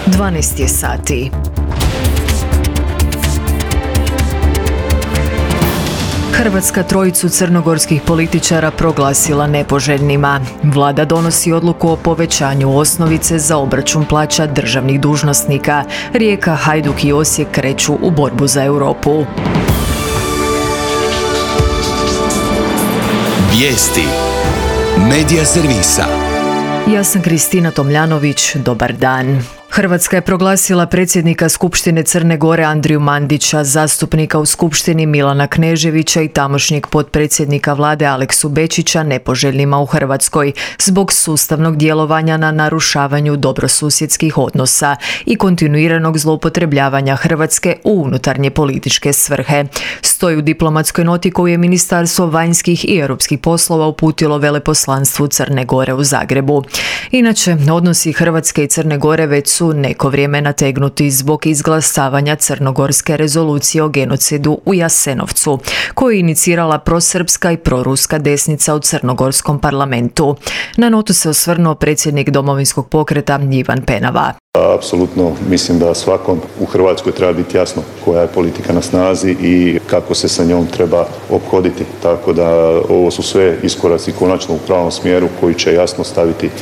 12 je sati. Hrvatska trojicu crnogorskih političara proglasila nepoželjnima. Vlada donosi odluku o povećanju osnovice za obračun plaća državnih dužnosnika. Rijeka, Hajduk i Osijek kreću u borbu za Europu. Vijesti Medija servisa. Ja sam Kristina Tomljanović, dobar dan. Hrvatska je proglasila predsjednika Skupštine Crne Gore Andriju Mandića, zastupnika u Skupštini Milana Kneževića i tamošnjeg potpredsjednika vlade Aleksu Bečića nepoželjnima u Hrvatskoj zbog sustavnog djelovanja na narušavanju dobrosusjedskih odnosa i kontinuiranog zloupotrebljavanja Hrvatske u unutarnje političke svrhe. Stoji u diplomatskoj noti koju je Ministarstvo vanjskih i europskih poslova uputilo veleposlanstvu Crne Gore u Zagrebu. Inače, odnosi Hrvatske i Crne Gore već su neko vrijeme nategnuti zbog izglasavanja crnogorske rezolucije o genocidu u Jasenovcu, koju je inicirala prosrpska i proruska desnica u crnogorskom parlamentu. Na notu se osvrnuo predsjednik Domovinskog pokreta Ivan Penava. Apsolutno mislim da svakom u Hrvatskoj treba biti jasno koja je politika na snazi i kako se sa njom treba ophoditi. Tako da ovo su sve iskoraci konačno u pravom smjeru koji će jasno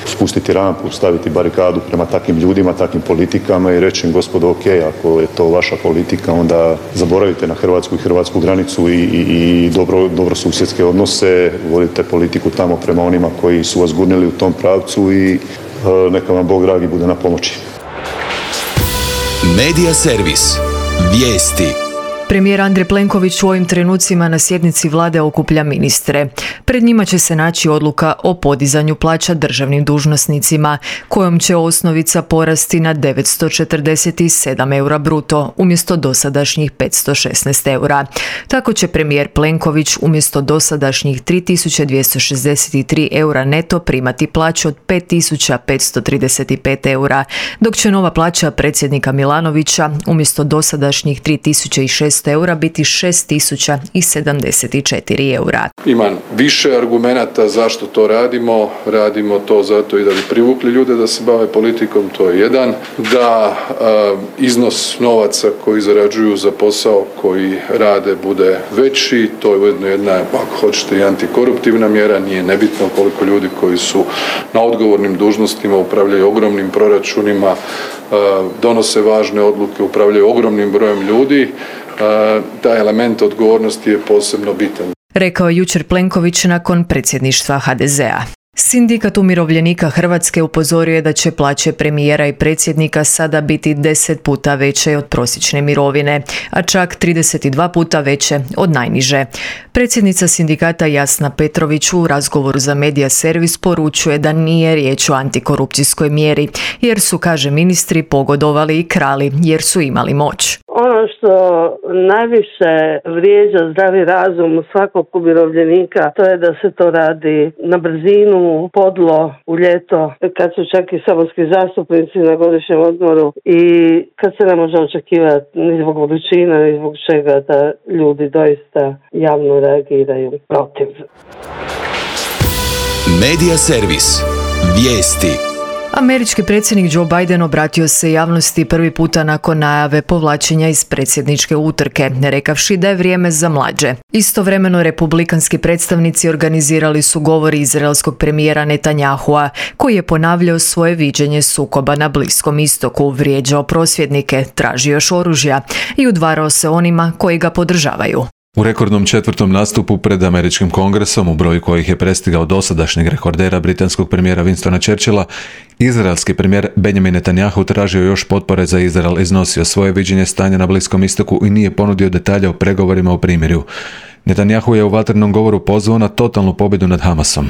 spustiti rampu, staviti barikadu prema takvim ljudima, takvim politikama i reći im gospodo ok, ako je to vaša politika onda zaboravite na Hrvatsku i hrvatsku granicu i dobro susjedske odnose, vodite politiku tamo prema onima koji su vas gurnili u tom pravcu i neka vam Bog dragi bude na pomoći. Medija servis. Vijesti. Premijer Andrej Plenković u ovim trenucima na sjednici vlade okuplja ministre. Pred njima će se naći odluka o podizanju plaća državnim dužnosnicima, kojom će osnovica porasti na 947 eura bruto, umjesto dosadašnjih 516 eura. Tako će premijer Plenković umjesto dosadašnjih 3263 eura neto primati plaću od 5535 eura, dok će nova plaća predsjednika Milanovića umjesto dosadašnjih 3600 eura biti 6074 eura. Imam više argumenata zašto to radimo. Radimo to zato i da bi privukli ljude da se bave politikom, to je jedan. Da iznos novaca koji zarađuju za posao koji rade bude veći, to je ujedno jedna, ako hoćete, i antikoruptivna mjera. Nije nebitno koliko ljudi koji su na odgovornim dužnostima upravljaju ogromnim proračunima, donose važne odluke, upravljaju ogromnim brojem ljudi. Taj element odgovornosti je posebno bitan. Rekao je jučer Plenković nakon predsjedništva HDZ-a. Sindikat umirovljenika Hrvatske upozorio je da će plaće premijera i predsjednika sada biti 10 puta veće od prosječne mirovine, a čak 32 puta veće od najniže. Predsjednica sindikata Jasna Petrović u razgovoru za Medija servis poručuje da nije riječ o antikorupcijskoj mjeri, jer su, kaže ministri, pogodovali i krali jer su imali moć. Ono što najviše vrijeđa zdravi razum svakog umirovljenika, to je da se to radi na brzinu, podlo, u ljeto, kad su čak i saborski zastupnici na godišnjem odmoru i kad se ne može očekivati ni zbog vrućina, ni zbog čega da ljudi doista javno reagiraju protiv. Medija servis. Vijesti. Američki predsjednik Joe Biden obratio se javnosti prvi puta nakon najave povlačenja iz predsjedničke utrke, rekavši da je vrijeme za mlađe. Istovremeno republikanski predstavnici organizirali su govor izraelskog premijera Netanyahua, koji je ponavljao svoje viđenje sukoba na Bliskom istoku, vrijeđao prosvjednike, tražio još oružja i udvarao se onima koji ga podržavaju. U rekordnom 4. nastupu pred američkim kongresom, u broju kojih je prestigao dosadašnjeg rekordera britanskog premijera Winstona Churchilla, izraelski premijer Benjamin Netanyahu tražio još potpore za Izrael, iznosio svoje viđenje stanja na Bliskom istoku i nije ponudio detalje o pregovorima o primirju. Netanyahu je u vatrenom govoru pozvao na totalnu pobjedu nad Hamasom.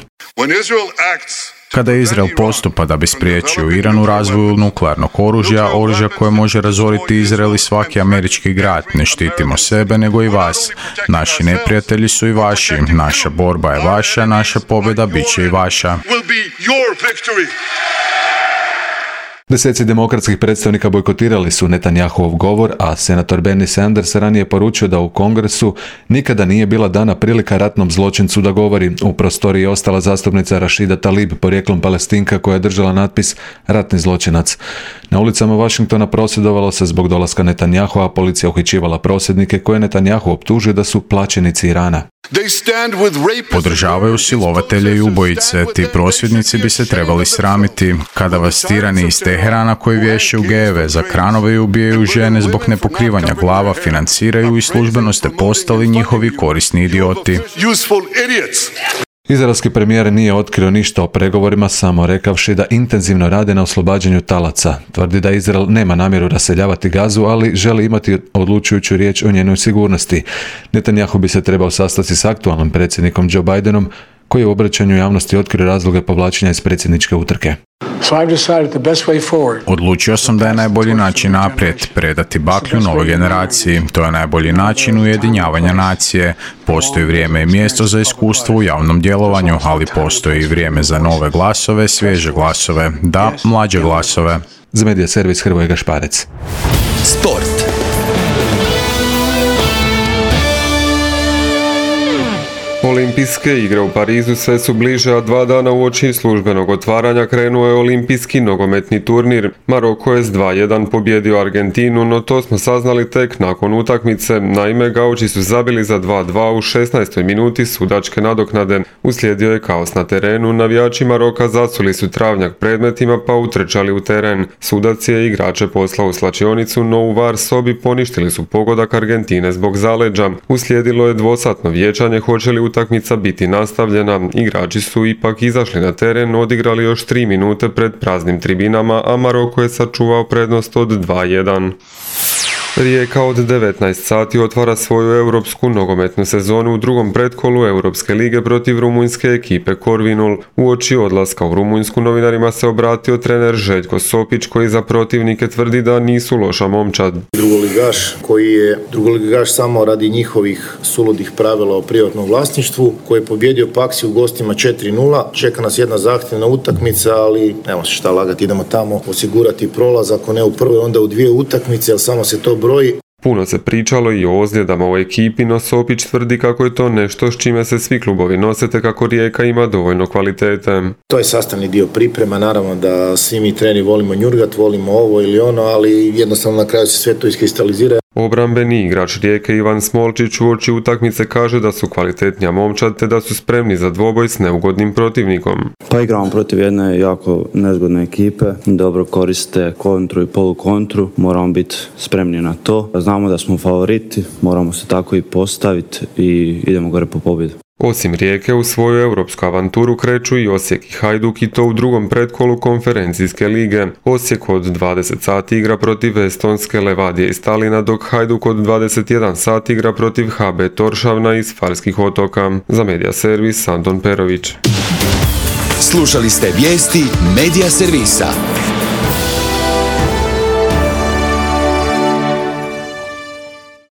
Kada Izrael postupa da bi spriječio Iran u razvoju nuklearnog oružja, oružja koje može razoriti Izrael i svaki američki grad, ne štitimo sebe nego i vas. Naši neprijatelji su i vaši, naša borba je vaša, naša pobjeda bit će i vaša. Deseci demokratskih predstavnika bojkotirali su Netanyahuov govor, a senator Bernie Sanders ranije poručio da u Kongresu nikada nije bila dana prilika ratnom zločincu da govori. U prostoriji je ostala zastupnica Rashida Tlaib, porijeklom Palestinka, koja je držala natpis ratni zločinac. Na ulicama Washingtona prosvjedovalo se zbog dolaska Netanyahua, a policija uhićivala prosvjednike koje Netanyahu optužio da su plaćenici Irana. Podržavaju silovatelje i ubojice. Ti prosvjednici bi se trebali sramiti. Kada vas tirani iz Teherana koji vješe u gejeve za kranove i ubijaju žene zbog nepokrivanja glava financiraju i službeno ste postali njihovi korisni idioti. Izraelski premijer nije otkrio ništa o pregovorima, samo rekavši da intenzivno rade na oslobađanju talaca. Tvrdi da Izrael nema namjeru raseljavati Gazu, ali želi imati odlučujuću riječ o njenoj sigurnosti. Netanyahu bi se trebao sastati s aktualnim predsjednikom Joe Bidenom, koji je u obraćanju javnosti otkrio razloge povlačenja iz predsjedničke utrke. Odlučio sam da je najbolji način naprijed predati baklju novoj generaciji. To je najbolji način ujedinjavanja nacije. Postoji vrijeme i mjesto za iskustvo u javnom djelovanju, ali postoji i vrijeme za nove glasove, svježe glasove, da, mlađe glasove. Za Medija servis Hrvoje Gašparec. Sport. Olimpijske igre u Parizu sve su bliže, a 2 dana uoči službenog otvaranja krenuo je olimpijski nogometni turnir. Maroko je s 2:1 pobjedio Argentinu, no to smo saznali tek nakon utakmice. Naime, gauči su zabili za 2:2 u 16. minuti sudačke nadoknade. Uslijedio je kaos na terenu, navijači Maroka zasuli su travnjak predmetima pa utrčali u teren. Sudac je igrače poslao u slačionicu, no u VAR sobi poništili su pogodak Argentine zbog zaleđa. Uslijedilo je dvosatno vijećanje hoće li utakmica biti nastavljena. Igrači su ipak izašli na teren, odigrali još 3 minute pred praznim tribinama, a Maroko je sačuvao prednost od 2:1. Rijeka od 19 sati otvara svoju europsku nogometnu sezonu u drugom pretkolu Europske lige protiv rumunjske ekipe Corvinul. Uoči odlaska u Rumunjsku novinarima se obratio trener Željko Sopić, koji za protivnike tvrdi da nisu loša momčad. Drugoligaš koji je drugoligaš samo radi njihovih suludih pravila o privatnom vlasništvu, koji je pobjedio Paksi u gostima 4:0. Čeka nas jedna zahtjevna utakmica, ali nema se šta lagati, idemo tamo osigurati prolaz, ako ne u prvoj onda u 2 utakmice, ali samo se to broji. Puno se pričalo i o ozljedama u ekipi, no Sopić tvrdi kako je to nešto s čime se svi klubovi nose, te kako Rijeka ima dovoljno kvalitete. To je sastavni dio priprema, naravno da svi mi treneri volimo njurgat, volimo ovo ili ono, ali jednostavno na kraju se sve to iskristalizira. Obrambeni igrač Rijeke Ivan Smolčić uoči utakmice kaže da su kvalitetnija momčad te da su spremni za dvoboj s neugodnim protivnikom. Pa igramo protiv jedne jako nezgodne ekipe, dobro koriste kontru i polukontru, moramo biti spremni na to. Znamo da smo favoriti, moramo se tako i postaviti i idemo gore po pobjedu. Osim Rijeke, u svoju europsku avanturu kreću i Osijek i Hajduk, i to u drugom pretkolu konferencijske lige. Osijek od 20 sati igra protiv estonske Levadije iz Talina, dok Hajduk od 21 sati igra protiv HB Toršavna iz Farskih otoka. Za Medija servis Anton Perović. Slušali ste vijesti Medija servisa.